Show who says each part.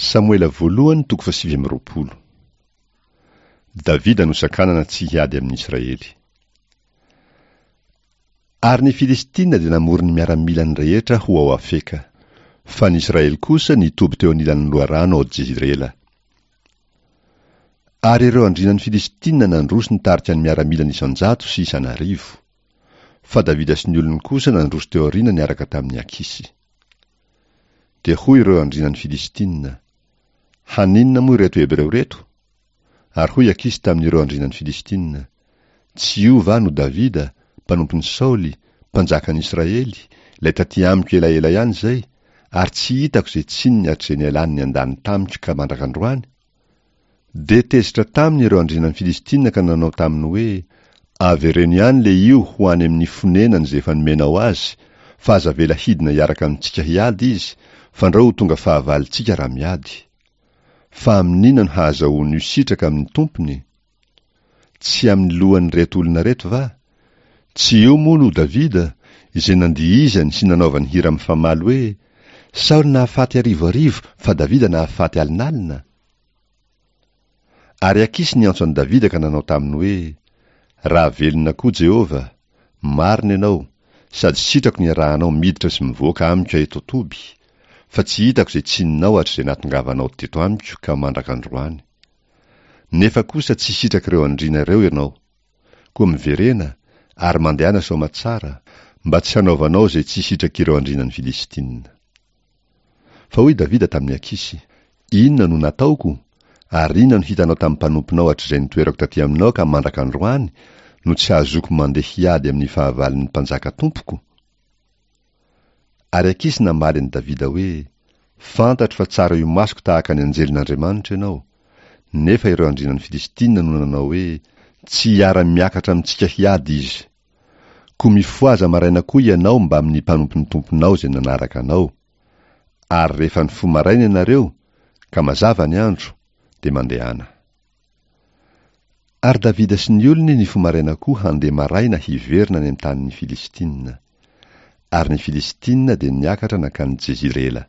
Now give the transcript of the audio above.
Speaker 1: Samoela voalohany toko fahasivy amby 20. Davida nosakanana tsy hiady amin'ny Israely. Ary ny Filistina dia namory ny miaramilany rehetra ho ao Afeka. Fa ny Israely kosa nitoby teo anilan'ny loharano ao Jezirela. Ary ireo andrianan'ny Filistina nandroso nitarika ny miaramilany isan-jato sy isan'arivo. Fa Davida sy ny olony kosa nandroso teo aoriana niaraka tamin'i Akisy. Dia hoy ireo andrianan'ny Filistina, Haninona moa ireto Hebreo ireto? Ary hoy Akisy tamin'ireo andrianan'ny Filistina, Tsy io va no Davida, mpanompon'i Saoly, mpanjakan'i Israely, ilay tatỳ amiko elaela ihany izay, ary tsy hitako izay tsininy hatrizay nialany niandany tamiko ka mandrak'androany? Dia tezitra taminy ireo andrianan'ny Filistina ka nanao taminy hoe, Avereno ihany lehio ho any amin'ny fonenany izay efa nomenao azy, fa aza avela hidina hiaraka amintsika hiady izy, fandrao ho tonga fahavalontsika raha miady. Fa amin'inona no hahazahoan'io sitraka amin'ny tompony? Tsy amin'ny lohan'ireto olona ireto va? Tsy io moa no Davida, izay nandihizany sy nanaovany hira mifamaly hoe, Saoly nahafaty arivoarivo fa Davida nahafaty alinalina? Ary Akisy niantso an'i Davida ka nanao taminy hoe, Raha velona koa Jehovah, marina ianao, sady sitrako ny iarahanao miditra sy mivoaka amiko eto an-toby, fa tsy hitako izay tsininao hatrizay nahatongavanao teto amiko ka mandrak'androany. Nefa kosa tsy sitrak'ireo andriana ireo ianao. Koa miverena, ary mandehana soamatsara, mba tsy hanaovanao izay tsy sitrak'ireo andrianan'ny Filistina. Fa hoy Davida tamin'i Akisy, Inona no nataoko? Ary inona no hitanao tamin'ny mpanomponao hatrizay nitoerako taty aminao ka mandraka androany, no tsy hahazoako mandeha hiady amin'ny fahavalon'ny mpanjaka tompoko? Ary Akisy namaly an'i Davida hoe, Fantatro fa tsara imasoko tahaka ny anjelin'Andriamanitra ianao. Nefa ireo andrianan'ny Filistina no nanao hoe, Tsy hiara-miakatra amintsika hiady izy. Koa mifohaza maraina koa ianao mbamin'ny mpanompon'ny tomponao izay nanaraka anao. Ary rehefa nifoha maraina ianareo, ka mazava ny andro, dia mandehana. Ary Davida sy ny olony nifoha maraina koa handeha maraina hiverina any amin'ny tanin'ny Filistina. Ary ny Filistina dia niakatra nankany Jezirela.